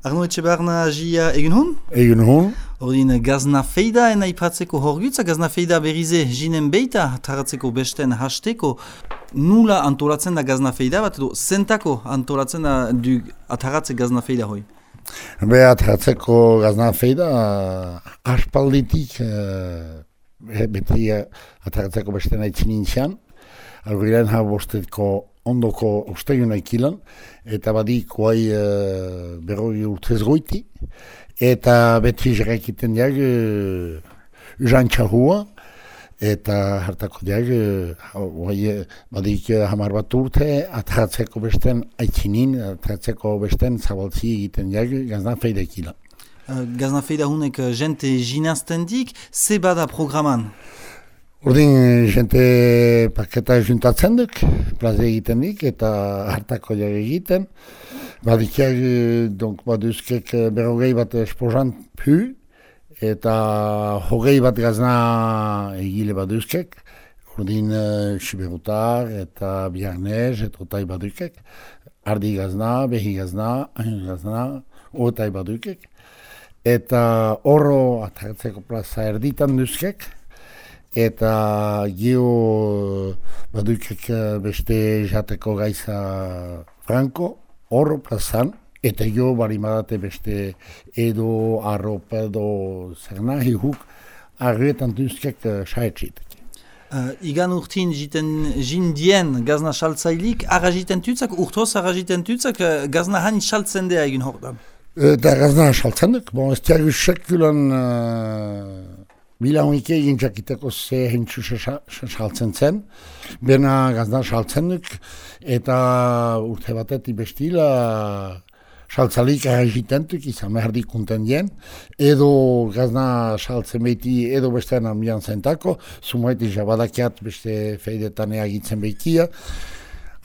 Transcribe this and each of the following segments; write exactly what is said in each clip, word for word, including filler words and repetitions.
Arno Etxebarna jia egin hon? Egin hon. Ordin gazna feida ena ipatzeko horgutza, gazna feida berize jinen beita, taratzeko besten hasteko. Nula antolatzen da gazna feida bat, edo zentako antolatzen da du ataratze gazna feida hoi? Be ataratzeko gazna feida aspalditik uh, beti ataratzeko besten haitzin nintzean. Algoiren ha bosteko ondoko ustegun aikilan, eta badik guai uh, berroi urtez goiti, eta beti jarraikiten diag uh, jantxahua, eta hartako diag guai uh, badik uh, hamar bat urte, ataratzeko besten aitzinin, ataratzeko besten zabaltzi egiten diag gazna feida aikilan. Uh, gazna feida hunek uh, jente jinazten dik, ze bada programan? Ordin, jente paketa juntatzen duk, plaze egiten dik, eta hartako jare egiten. Badikiak, donc, baduzkek berrogei bat esposan pu, eta hogei bat gazna egile baduzkek. Ordin, siberutar eta biarnez, eta otai badukek. Ardi gazna, behi gazna, ahin gazna, otai badukek. Eta horro atartzeko plaza erditan duzkek. Eta gio badukek beste jateko gaiza franko, horro plazan, eta gio barimadate beste edo, arropa edo zer nahi huk, arretan duzkek saetxitek. Uh, igan urtin jiten jindien gazna saltzailik, ara jiten tutzak, urtoz ara jiten tutzak, gazna hani saltzen dea egin hordan? Eta gazna saltzen duk, bon, ez tiagu sekulan... Uh, Bila honik egin jakiteko ze hintzu saltzen zen, bena gazna saltzen duk, eta urte batetik bestila saltzalik egitentuk izan behar dikunten dien, edo gazna saltzen behiti edo bestean ambian zentako, zumaiti jabadakiat beste feidetan egitzen behitia,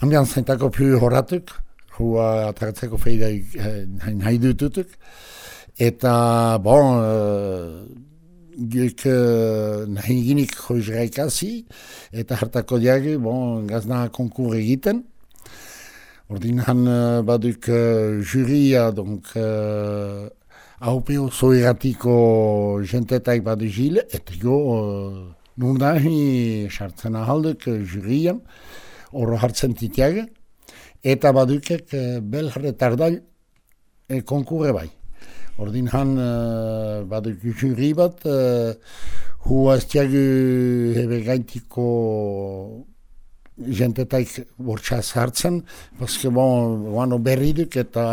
ambian zentako pu horatuk, hua ataratzeko feida nahi dututuk, eta bon, Gek uh, nahi ginik joizraikasi, eta hartako diagi, bon, gazna konkur egiten. Ordin han uh, baduk uh, juria, donc, uh, haupeo zoeratiko jentetaik badu jile, eta jo, uh, nun nahi sartzen ahalduk uh, jurian, horro hartzen titiaga, eta badukek uh, belharretardal uh, konkurre bai. Ordin han uh, baduk juri bat, uh, hua ez tiagu hebe gaintiko jentetaik bortxaz hartzen, paske bon, guano berri duk eta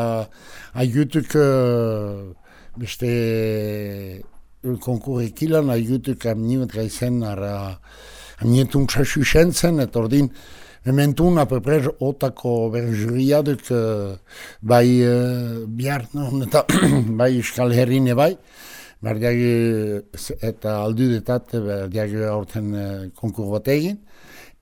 aigutuk uh, beste konkur ekilan, aigutuk amnimet gaizen ara amnietun txasu sentzen, eta ordin Hementun, apeprer, otako berjuriaduk uh, bai uh, bihar, no, eta bai Euskal Herrine bai, berdiagi eta aldudetat berdiagi aurten uh, konkur bat egin,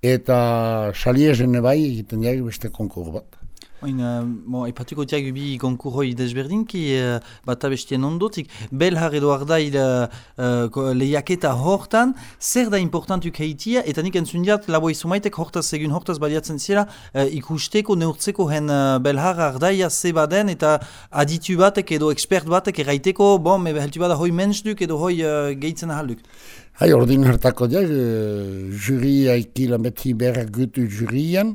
eta saliezene bai egiten diagi beste konkur bat. Oin, uh, bon, aipatuko tiagu bi konkurroi desberdinki, uh, bat abestien ondotik, belhar edo ardail uh, uh, lehiaketa hortan, zer da importantuk heitia, eta nik entzundiat labo izumaitek hortaz egun hortaz baliatzen zira, uh, ikusteko, neurtzeko hen uh, belhar ardaia ze baden, eta aditu batek edo ekspert batek erraiteko, bon, me beheltu bada hoi mensduk edo hoi uh, gehitzen ahalduk. Hai, ordin hartako diag, uh, juri aikilan beti berrak gutu jurian,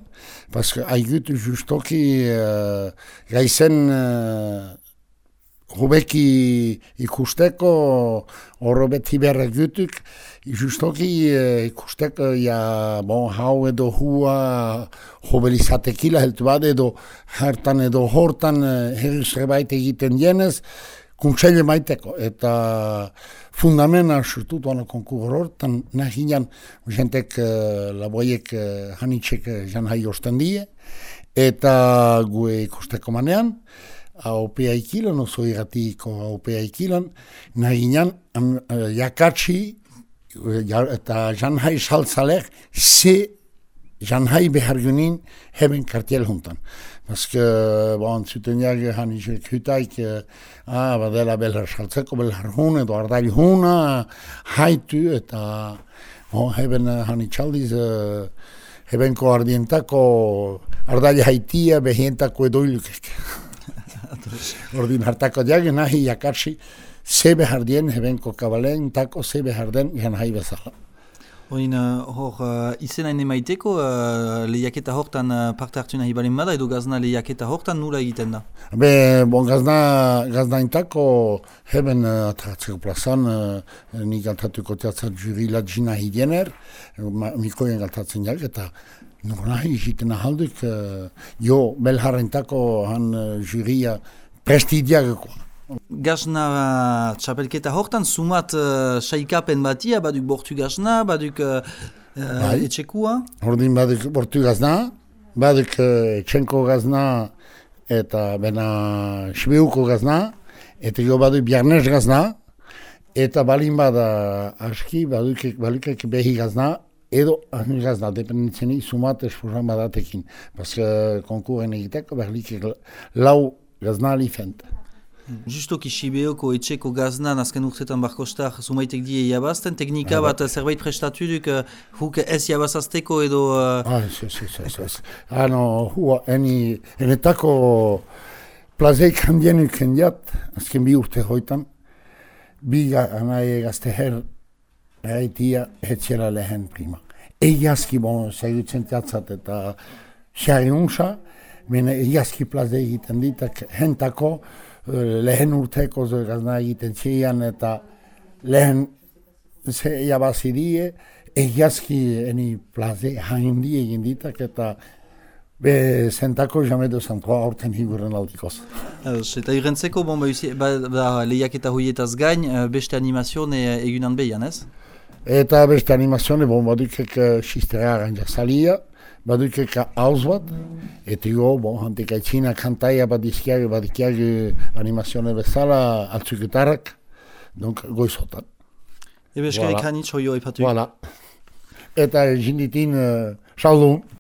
paske aigutu justoki uh, gaizen uh, hubeki ikusteko horro beti berrak gutuk, justoki uh, ikusteko ja, bon, hau edo hua hobelizatekila heltu bade edo hartan edo hortan uh, herriz rebait egiten dienez, kuntxaile maiteko, eta fundamena sortutuan konkur hortan, nahi ginen, jentek uh, laboiek uh, hanitxek uh, jan hai osten die, eta gue ikusteko manean, haupea ikilan, oso irratiko haupea ikilan, nahi ginen, um, uh, jakatsi, uh, eta jan hai saltzalek, ze jan hai behar gunin heben kartiel juntan. Paske, bon, zuten jage hanitxek hutaik, ah, badela belhar saltzeko, belhar hun edo ardail huna, haitu eta bon, heben hanitxaldiz, hebenko ardientako ardail haitia behientako edoilukek. Ordin hartako diag, nahi jakatsi, ze behar dien, hebenko kabalen, tako ze behar den, gan hai bezala. Oin, uh, hor, uh, izena ene maiteko, uh, lehiaketa hortan uh, parte hartu nahi balen bada, edo gazna lehiaketa hortan nula egiten da? Be, bon, gazna, gazna intako, heben uh, atratzeko plazan, uh, nik galtatuko teatzat juri latjina hidiener, mikoien galtatzen jak, eta nor nahi egiten ahalduk, uh, jo, belharrentako han uh, juria prestidiagekoa. Gazna uh, txapelketa hortan, sumat uh, saikapen batia, baduk bortu gazna, baduk uh, uh, etxekua? Ordin baduk bortu gazna, baduk uh, etxenko gazna eta bena sibeuko gazna, eta jo baduk biarnez gazna, eta balin bada aski baduk balukek behi gazna, edo ahmi gazna, dependentzeni sumat esposan badatekin. Paske konkurren egiteko berlik lau gazna alifent. Justoki Sibeoko etxeko gaznan azken urtetan barkostar sumaitek die jabazten, teknika ah, bat zerbait prestatu duk uh, huk ez jabazazteko edo... Uh... Ah, ez, ez, ez, ez. Ah, no, hua, eni, enetako plazeik handien ukendiat, azken bi urte hoitan, bi anaie gazte her, eraitia, etxera lehen prima. Egiazki, bon, zaigutzen teatzat eta xari unsa, mene egiazki plazei egiten ditak, hentako, lehen urteko gazna egiten zian eta lehen jabazidie egiazki eni plaze handi egin ditak eta be zentako jamedo zantroa aurten higuren aldikoz. Eta irentzeko, bon, ba, ba, lehiak eta hoietaz gain, beste animazione egunan behian, ez? Eta beste animazione, bon, badukek xistera aranjak salia, badukek hauz bat, eta jo, bon, hantik aitzina kantaia badizkiago, badikiago animazione bezala, altzuketarrak, donc goizotan. Ebe eskarik hanitz hoio epatu. Voilà. Eta jinditin uh, saldun.